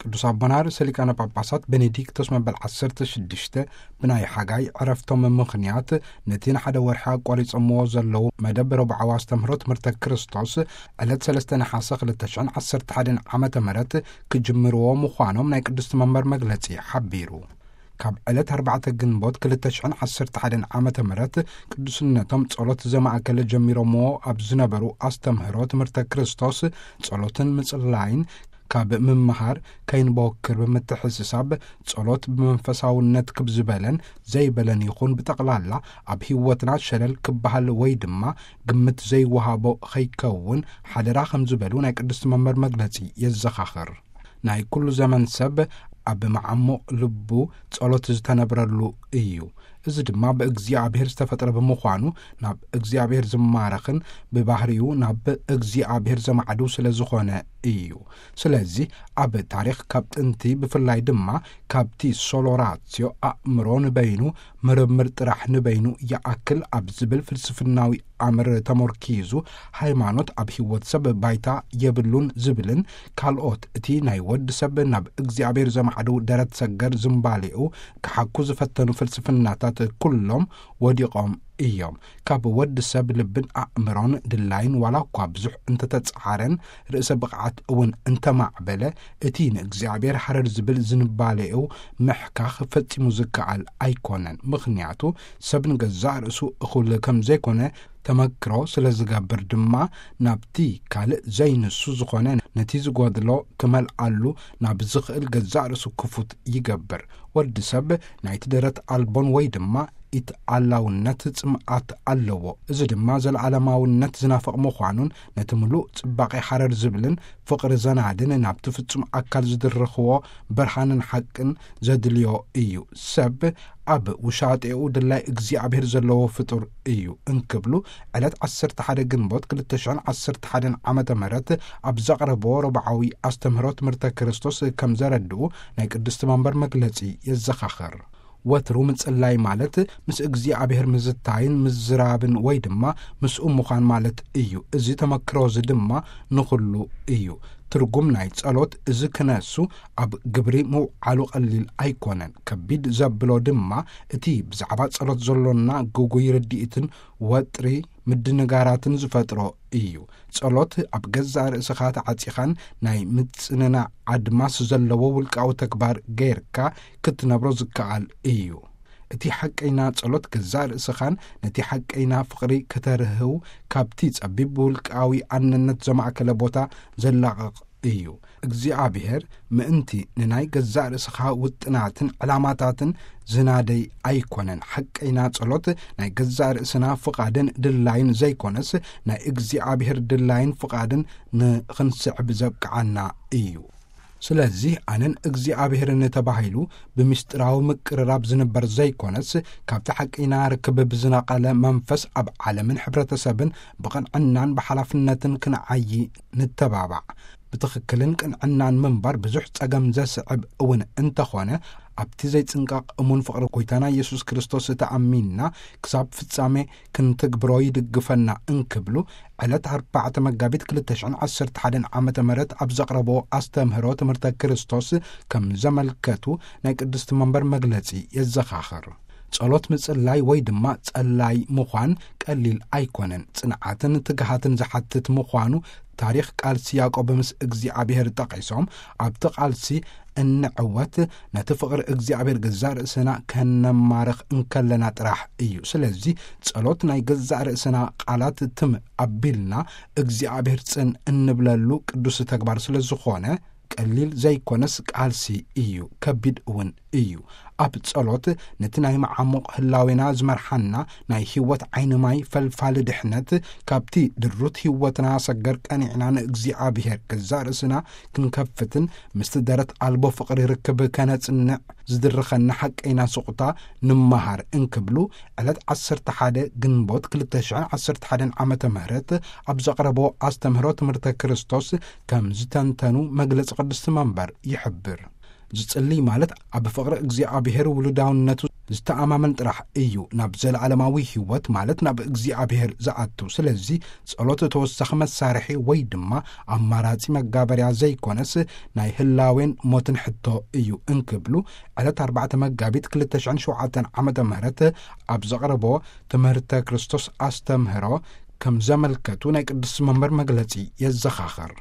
ቅዱስ ኣቦና ርእሰ ሊቃነ ጳጳሳት ቤኔዲክቶስ መበል ዓሰርተ ሽዱሽተ ብናይ ሓጋይ ዕረፍቶም ምኽንያት ነቲ ንሓደ ወርሒ ኣቋሪጾምዎ ዘለዉ መደብ ረቡዓዊ ኣስተምህሮ ትምህርተ ክርስቶስ ዕለት ሰለስተ ነሓሰ ክልተ ሽሕን ዓሰርተ ሓደን ዓመተ ምህረት ክጅምርዎ ምዃኖም ናይ ቅድስቲ መንበር መግለጺ ሓቢሩ። ካብ ዕለት ኣርባዕተ ግንቦት ክልተ ሽሕን ዓሰርተ ሓደን ዓመተ ምህረት ቅዱስነቶም ጸሎት ዘማእከለ ጀሚሮምዎ ኣብ ዝነበሩ ኣስተምህሮ ትምህርተ ክርስቶስ ጸሎትን ምጽላይን ካብ ምምሃር ከይንበወክር ብምትሕስሳብ ጸሎት ብመንፈሳውነት ክብ ዝበለን ዘይበለን ይኹን ብጠቕላላ ኣብ ህይወትና ሸለል ክበሃል ወይ ድማ ግምት ዘይወሃቦ ኸይከውን ሓደራ ከም ዝበሉ ናይ ቅድስቲ መንበር መግለጺ የዘኻኽር። ናይ ኩሉ ዘመን ሰብ ኣብ መዓሙቕ ልቡ ጸሎት ዝተነብረሉ እዩ። እዚ ድማ ብእግዚኣብሔር ዝተፈጥረ ብምዃኑ ናብ እግዚኣብሔር ዝማረኽን ብባህሪኡ ናብ እግዚኣብሔር ዘማዕድው ስለ ዝኾነ እዩ። ስለዚህ ኣብ ታሪኽ ካብ ጥንቲ ብፍላይ ድማ ካብቲ ሶሎራትዮ ኣእምሮ ንበይኑ ምርምር ጥራሕ ንበይኑ ይኣክል ኣብ ዝብል ፍልስፍናዊ ኣምር ተመርኪዙ ሃይማኖት ኣብ ህይወት ሰብ ባይታ የብሉን ዝብልን ካልኦት እቲ ናይ ወዲ ሰብ ናብ እግዚኣብሔር ዘማዕድው ደረት ሰገር ዝምባሌኡ ክሓኩ ዝፈተኑ ፍልስፍናታት ኩሎም ወዲቖም እዮም። ካብ ወዲ ሰብ ልብን ኣእምሮን ድላይን ዋላ እኳ ብዙሕ እንተተጻዓረን ርእሰ ብቕዓት እውን እንተማዕበለ እቲ ንእግዚኣብሔር ሃረር ዝብል ዝንባሌኡ ምሕካኽ ፈጺሙ ዝከኣል ኣይኮነን። ምኽንያቱ ሰብ ንገዛእ ርእሱ እኹል ከም ዘይኮነ ተመክሮ ስለ ዝገብር ድማ ናብቲ ካልእ ዘይንሱ ዝኾነ ነቲ ዝጎድሎ ክመልኣሉ ናብ ዝኽእል ገዛእ ርእሱ ክፉት ይገብር። ወዲ ሰብ ናይቲ ደረት ኣልቦን ወይ ድማ ኢትኣላውነት ጽምኣት ኣለዎ። እዚ ድማ ዘለዓለማውነት ዝናፍቕ ምዃኑን ነቲ ምሉእ ጽባቄ ሓረር ዝብልን ፍቕሪ ዘናድን ናብቲ ፍጹም ኣካል ዝድርኽዎ ብርሃንን ሓቅን ዘድልዮ እዩ። ሰብ ኣብ ውሻጤኡ ድላይ እግዚኣብሔር ዘለዎ ፍጡር እዩ እንክብሉ ዕለት ዓሰርተ ሓደ ግንቦት ክልተ ሽሕን ዓሰርተ ሓደን ዓመተ ምህረት ኣብ ዘቕረብዎ ረብዓዊ ኣስተምህሮ ትምህርተ ክርስቶስ ከም ዘረድኡ ናይ ቅድስቲ መንበር መግለጺ የዘኻኽር። ወትሩ ምጽላይ ማለት ምስ እግዚኣብሔር ምዝታይን ምዝራብን ወይ ድማ ምስኡ ምዃን ማለት እዩ። እዚ ተመክሮ እዚ ድማ ንኹሉ እዩ። ትርጉም ናይ ጸሎት እዚ ክነሱ ኣብ ግብሪ ምውዓሉ ቀሊል ኣይኮነን። ከቢድ ዘብሎ ድማ እቲ ብዛዕባ ጸሎት ዘሎና ግጉይ ርድኢትን ወጥሪ ምድንጋራትን ዝፈጥሮ እዩ። ጸሎት ኣብ ገዛእ ርእስኻ ተዓጺኻን ናይ ምጽንናዕ ኣድማስ ዘለዎ ውልቃዊ ተግባር ገይርካ ክትነብሮ ዝከኣል እዩ። እቲ ሓቀይና ጸሎት ገዛእ ርእስኻን ነቲ ሓቀይና ፍቕሪ ከተርህው ካብቲ ጸቢብ ብውልቃዊ ኣነነት ዘማእከለ ቦታ ዘላቕቕ እዩ። እግዚኣብሔር ምእንቲ ንናይ ገዛእ ርእስኻ ውጥናትን ዕላማታትን ዝናደይ ኣይኮነን። ሓቀይና ጸሎት ናይ ገዛእ ርእስና ፍቓድን ድላይን ዘይኮነስ ናይ እግዚኣብሔር ድላይን ፍቓድን ንኽንስዕብ ዘብቅዓና እዩ። ስለዚህ ኣነን እግዚኣብሔርን ተባሂሉ ብምስጢራዊ ምቅርራብ ዝንበር ዘይኮነስ ካብቲ ሓቀይና ርክብ ብዝነቐለ መንፈስ ኣብ ዓለምን ሕብረተሰብን ብቕንዕናን ብሓላፍነትን ክንዓዪ ንተባባዕ። ብትኽክልን ቅንዕናን ምንባር ብዙሕ ጸገም ዘስዕብ እውን እንተኾነ ኣብቲ ዘይጽንቀቕ እሙን ፍቕሪ ጎይታና ኢየሱስ ክርስቶስ ተኣሚንና ክሳብ ፍጻሜ ክንትግብሮ ይድግፈና እንክብሉ ዕለት ኣርባዕተ መጋቢት ክልተ ሽሕን ዓሰርተ ሓደን ዓመተ ምህረት ኣብ ዘቕረቦ ኣስተምህሮ ትምህርተ ክርስቶስ ከም ዘመልከቱ ናይ ቅድስቲ መንበር መግለጺ የዘኻኽር። ጸሎት ምጽላይ ወይ ድማ ጸላይ ምዃን ቀሊል ኣይኮነን። ጽንዓትን ትግሃትን ዝሓትት ምዃኑ ታሪኽ ቃልሲ ያዕቆብ ምስ እግዚኣብሔር ጠቒሶም ኣብቲ ቃልሲ እንዕወት ነቲ ፍቕሪ እግዚኣብሔር ገዛእ ርእስና ከነማርኽ እንከለና ጥራሕ እዩ። ስለዚ ጸሎት ናይ ገዛእ ርእስና ቃላት ትም ኣቢልና እግዚኣብሔር ጽን እንብለሉ ቅዱስ ተግባር ስለ ዝኾነ ቀሊል ዘይኮነስ ቃልሲ እዩ፣ ከቢድ እውን እዩ። ኣብ ጸሎት ነቲ ናይ መዓሙቕ ህላዌና ዝመርሓና ናይ ህይወት ዓይኒ ማይ ፈልፋሊ ድሕነት ካብቲ ድሩት ህይወትና ሰገር ቀኒዕና ንእግዚኣብሔር ገዛእ ርእስና ክንከፍትን ምስቲ ደረት ኣልቦ ፍቕሪ ርክብ ከነጽንዕ ዝድርኸና ሓቀይና ስቑታ ንመሃር እንክብሉ ዕለት ዓሰርተ ሓደ ግንቦት ክልተ ሽሕን ዓሰርተ ሓደን ዓመተ ምህረት ኣብ ዘቕረቦ ኣስተምህሮ ትምህርተ ክርስቶስ ከም ዝተንተኑ መግለጺ ቅድስቲ መንበር ይሕብር። ዝጽልይ ማለት ኣብ ፍቕሪ እግዚኣብሔር ውሉዳውነቱ ዝተኣማመን ጥራሕ እዩ ናብ ዘለዓለማዊ ህይወት፣ ማለት ናብ እግዚኣብሔር ዝኣቱ። ስለዚ ጸሎት ተወሳኺ መሳርሒ ወይ ድማ ኣማራጺ መጋበርያ ዘይኮነስ፣ ናይ ህላዌን ሞትን ሕቶ እዩ እንክብሉ ዕለት ኣርባዕተ መጋቢት ክልተ ሽሕን ሸውዓተን ዓመተ ምህረት ኣብ ዘቕረቦ ትምህርተ ክርስቶስ ኣስተምህሮ ከም ዘመልከቱ ናይ ቅዱስ መንበር መግለጺ የዘኻኸር።